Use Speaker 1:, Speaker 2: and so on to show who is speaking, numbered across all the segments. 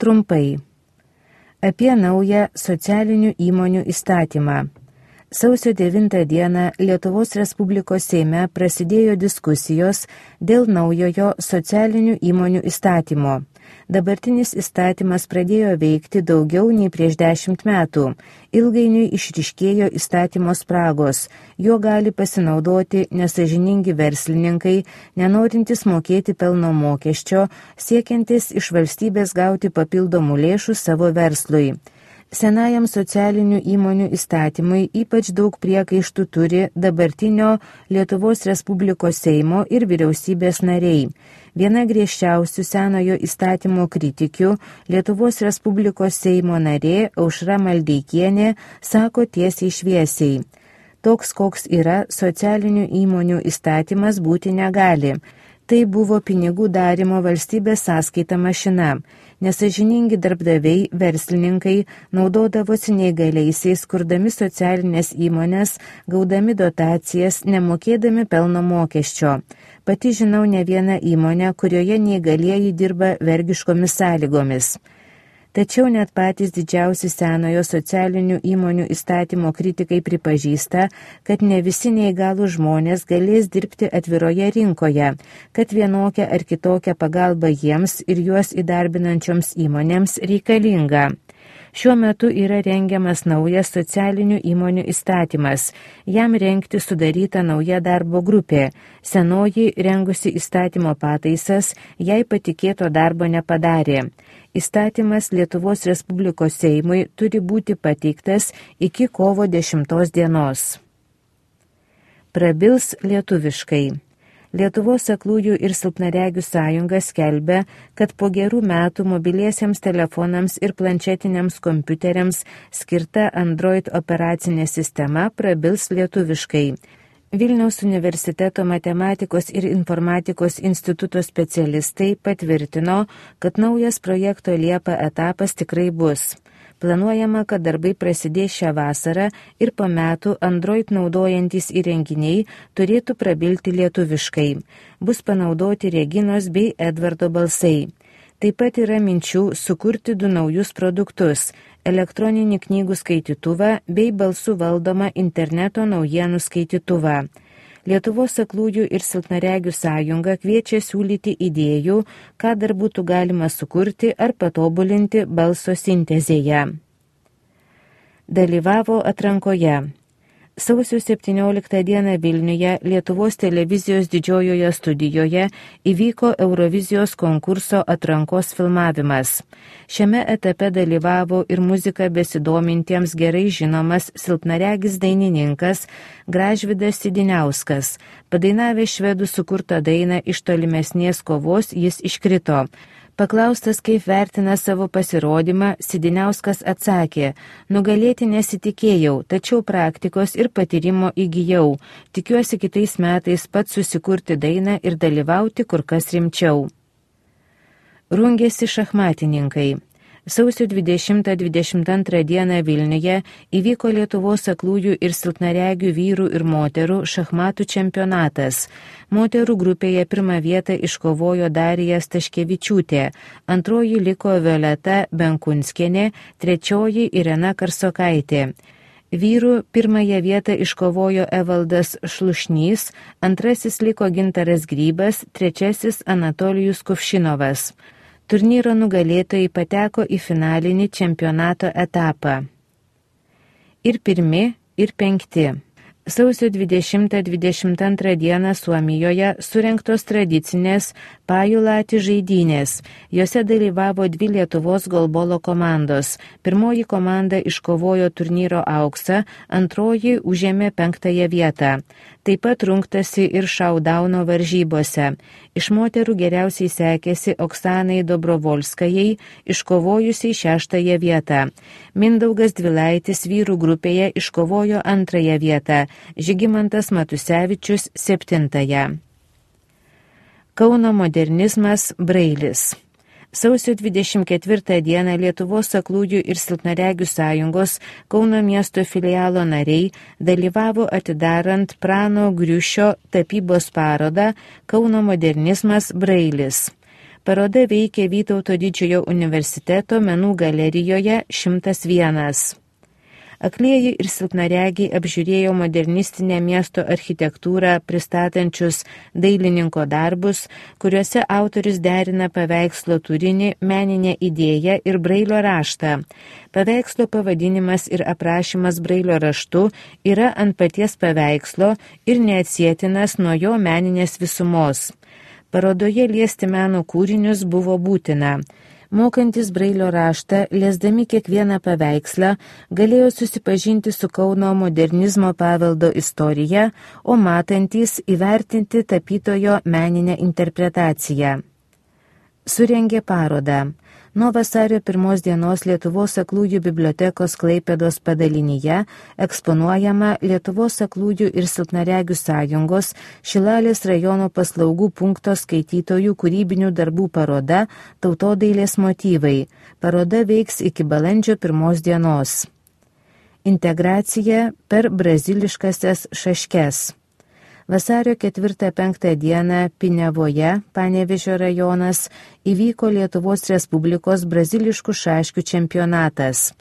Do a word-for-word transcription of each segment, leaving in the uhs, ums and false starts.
Speaker 1: Trumpai. Apie naują socialinių įmonių įstatymą. Sausio devintą dieną Lietuvos Respublikos Seime prasidėjo diskusijos dėl naujojo socialinių įmonių įstatymo. Dabartinis įstatymas pradėjo veikti daugiau nei prieš dešimt metų. Ilgainiui išryškėjo įstatymo spragos. Jo gali pasinaudoti nesąžiningi verslininkai, nenorintys mokėti pelno mokesčio, siekiantis iš valstybės gauti papildomų lėšų savo verslui. Senajam socialinių įmonių įstatymui ypač daug priekaištų turi dabartinio Lietuvos Respublikos Seimo ir vyriausybės nariai. Viena griežčiausių senojo įstatymo kritikių, Lietuvos Respublikos Seimo narė Aušra Maldeikienė, sako tiesiai šviesiai: toks, koks yra socialinių įmonių įstatymas, būti negali. Tai buvo pinigų darimo valstybės sąskaita mašina. Nesąžiningi darbdaviai, verslininkai naudodavosi neįgaliaisiais, kurdami socialinės įmonės, gaudami dotacijas, nemokėdami pelno mokesčio. Pati žinau ne vieną įmonę, kurioje neįgalieji dirba vergiškomis sąlygomis. Tačiau net patys didžiausi senojo socialinių įmonių įstatymo kritikai pripažįsta, kad ne visi neįgalų žmonės galės dirbti atviroje rinkoje, kad vienokia ar kitokia pagalba jiems ir juos įdarbinančioms įmonėms reikalinga. Šiuo metu yra rengiamas naujas socialinių įmonių įstatymas. Jam rengti sudaryta nauja darbo grupė. Senoji rengusi įstatymo pataisas, jai patikėto darbo nepadarė. Įstatymas Lietuvos Respublikos Seimui turi būti pateiktas iki kovo dešimtos dienos. Prabils lietuviškai. Lietuvos aklųjų ir silpnaregių sąjunga skelbia, kad po gerų metų mobiliesiems telefonams ir planšetiniams kompiuteriams skirta Android operacinė sistema prabils lietuviškai. Vilniaus universiteto matematikos ir informatikos instituto specialistai patvirtino, kad naujas projekto Liepa etapas tikrai bus. Planuojama, kad darbai prasidės šią vasarą ir po metų Android naudojantys įrenginiai turėtų prabilti lietuviškai. Bus panaudoti Reginos bei Edvardo balsai. Taip pat yra minčių sukurti du naujus produktus – elektroninį knygų skaitytuvą bei balsų valdomą interneto naujienų skaitytuvą. Lietuvos aklųjų ir silpnaregių sąjunga kviečia siūlyti idėjų, ką dar būtų galima sukurti ar patobulinti balso sintezėje. Dalyvavo atrankoje. Sausio septynioliktą dieną Vilniuje Lietuvos televizijos didžiojoje studijoje įvyko Eurovizijos konkurso atrankos filmavimas. Šiame etape dalyvavo ir muzika besidomintiems gerai žinomas silpnaregis dainininkas Gražvydas Sidiniauskas. Padainavęs švedų sukurtą dainą Iš tolimesnės kovos jis iškrito. Paklaustas, kaip vertina savo pasirodymą, Sidiniauskas atsakė: nugalėti nesitikėjau, tačiau praktikos ir patyrimo įgijau. Tikiuosi kitais metais pats susikurti dainą ir dalyvauti kur kas rimčiau. Rungėsi šachmatininkai. Sausio dvidešimtą dvidešimt antrą dieną Vilniuje įvyko Lietuvos aklųjų ir silpnaregių vyrų ir moterų šachmatų čempionatas. Moterų grupėje pirmą vietą iškovojo Darija Staškevičiūtė, antroji liko Violeta Benkunskienė, trečioji Irena Karsokaitė. Vyrų pirmąją vietą iškovojo Evaldas Šlušnys, antrasis liko Gintaras Grybas, trečiasis Anatolijus Kuvšinovas. Turnyro nugalėtojai pateko į finalinį čempionato etapą. Ir pirmi, ir penkti. Sausio dvidešimtą dvidešimt antrą dieną Suomijoje surengtos tradicinės Pajulati žaidynės. Jose dalyvavo dvi Lietuvos golbolo komandos. Pirmoji komanda iškovojo turnyro auksą, antroji užėmė penktąją vietą. Taip pat rungtasi ir šaudauno varžybose. Iš moterų geriausiai sekėsi Oksanai Dobrovolskajai, iškovojusiai šeštąją vietą. Mindaugas Dvilaitis vyrų grupėje iškovojo antrąją vietą, Žygimantas Matusevičius septintąją. Kauno modernizmas Brailis. Sausio dvidešimt ketvirtą dieną Lietuvos aklųjų ir silpnaregių sąjungos Kauno miesto filialo nariai dalyvavo atidarant Prano Griušio tapybos parodą Kauno modernizmas Brailis. Paroda veikia Vytauto didžiojo universiteto menų galerijoje šimtas vienas. Aklieji ir silpnaregiai apžiūrėjo modernistinę miesto architektūrą pristatančius dailininko darbus, kuriuose autorius derina paveikslo turinį, meninę idėją ir brailio raštą. Paveikslo pavadinimas ir aprašymas brailio raštu yra ant paties paveikslo ir neatsietinas nuo jo meninės visumos. Parodoje liesti meno kūrinius buvo būtina. Mokantis brailio raštą, liesdami kiekvieną paveikslą, galėjo susipažinti su Kauno modernizmo paveldo istorija, o matantys įvertinti tapytojo meninę interpretaciją. Surengė parodą. Nuo vasario pirmos dienos Lietuvos aklųjų bibliotekos Klaipėdos padalinyje eksponuojama Lietuvos aklųjų ir silpnaregių sąjungos Šilalės rajono paslaugų punkto skaitytojų kūrybinių darbų paroda Tautodailės motyvai. Paroda veiks iki balandžio pirmos dienos. Integracija per braziliškasias šaškes. Vasario ketvirtą penktą dieną Pinevoje, Panevėžio rajonas, įvyko Lietuvos Respublikos braziliškų šaškių čempionatas.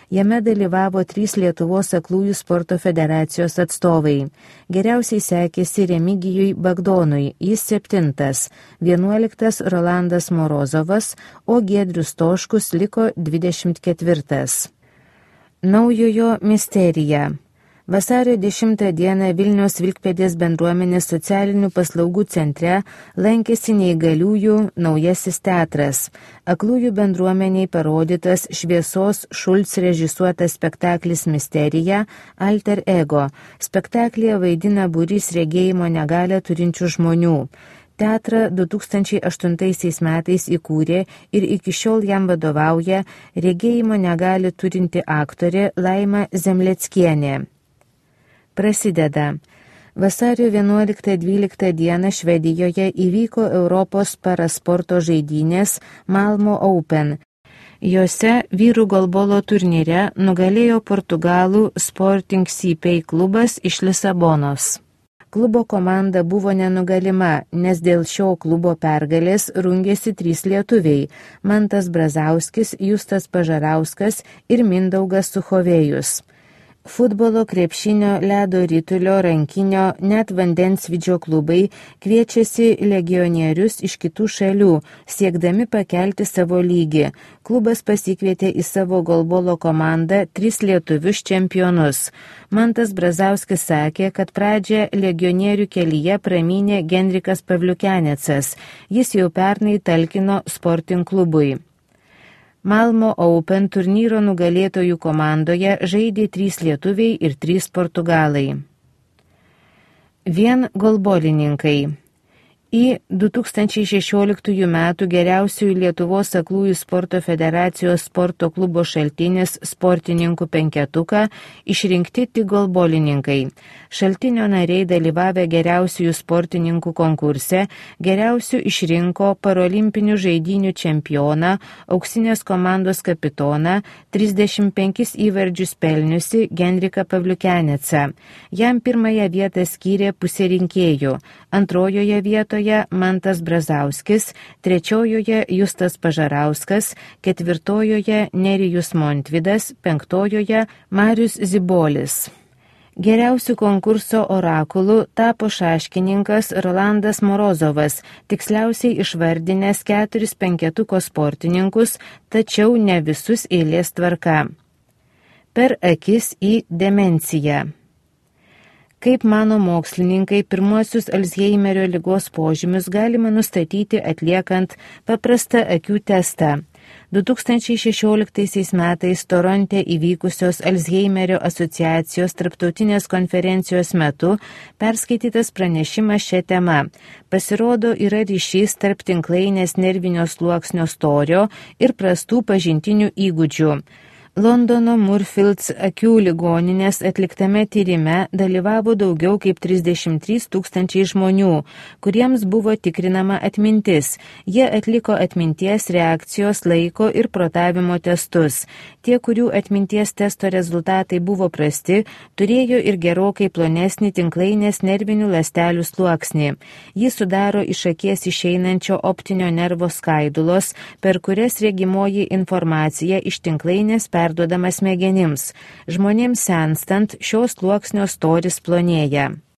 Speaker 1: Jame dalyvavo trys Lietuvos aklųjų sporto federacijos atstovai. Geriausiai sekėsi Remigijui Bagdonui, jis septintas, vienuoliktas Rolandas Morozovas, o Giedrius Toškus liko dvidešimt ketvirtas. Naujojo misterija. Vasario dešimtą dieną Vilniaus Vilkpėdės bendruomenės socialinių paslaugų centre lankėsi neįgaliųjų naujasis teatras. Aklųjų bendruomeniai parodytas Šviesos Šulc režisuotas spektaklis Misterija Alter Ego. Spektaklyje vaidina būrys regėjimo negalią turinčių žmonių. Teatrą du tūkstančiai aštuntaisiais metais įkūrė ir iki šiol jam vadovauja regėjimo negalią turinti aktorė Laima Zemleckienė. Prasideda. Vasario vienuoliktą dvyliktą dieną Švedijoje įvyko Europos parasporto žaidynės Malmo Open. Jose vyrų golbolo turnyre nugalėjo Portugalų Sporting C P klubas iš Lisabonos. Klubo komanda buvo nenugalima, nes dėl šio klubo pergalės rungėsi trys lietuviai – Mantas Brazauskis, Justas Pažarauskas ir Mindaugas Suchovėjus. Futbolo, krepšinio, ledo ritulio, rankinio, net vandensvidžio klubai kviečiasi legionierius iš kitų šalių, siekdami pakelti savo lygį. Klubas pasikvietė į savo golbolo komandą tris lietuvius čempionus. Mantas Brazauskis sakė, kad pradžią legionierių kelyje pramynė Genrikas Pavliukenecas. Jis jau pernai talkino Sporting klubui. Malmo Open turnyro nugalėtojų komandoje žaidė trys lietuviai ir trys portugalai. Vien golbolininkai. Į du tūkstančiai šešioliktųjų metų geriausiųjų Lietuvos aklųjų sporto federacijos sporto klubo Šaltinis sportininkų penketuką išrinkti tik golbolininkai. Šaltinio nariai dalyvavę geriausiųjų sportininkų konkurse geriausių išrinko parolimpinių žaidynių čempioną, auksinės komandos kapitoną, trisdešimt penkis įvarčius pelniusi Genriką Pavliukenecą. Jam pirmąją vietą skyrė pusė rinkėjų, antrojoje vietoje Mantas Brazauskis, trečiojoje Justas Pažarauskas, ketvirtojoje Nerijus Montvidas, penktojoje Marius Zibolis. Geriausių konkurso orakulų tapo šaškininkas Rolandas Morozovas, tiksliausiai išvardinęs keturis penketuko sportininkus, tačiau ne visus eilės tvarka. Per akis į demenciją. Kaip mano mokslininkai, pirmuosius Alzheimerio ligos požymius galima nustatyti atliekant paprastą akių testą. du tūkstančiai šešioliktaisiais metais Toronte įvykusios Alzheimerio asociacijos tarptautinės konferencijos metu perskaitytas pranešimas šią temą. Pasirodo, yra ryšys tarp tinklainės nervinio sluoksnio storio ir prastų pažintinių įgūdžių. Londono Moorfields akių ligoninės atliktame tyrime dalyvavo daugiau kaip trisdešimt trys tūkstančiai žmonių, kuriems buvo tikrinama atmintis. Jie atliko atminties, reakcijos, laiko ir protavimo testus. Tie, kurių atminties testo rezultatai buvo prasti, turėjo ir gerokai plonesnį tinklainės nervinių ląstelių sluoksnį. Jį sudaro iš akies išeinančio optinio nervo skaidulos, per kurias regimoji informacija iš tinklainės perduodama smegenims. Žmonėms senstant, šios sluoksnio storis plonėja.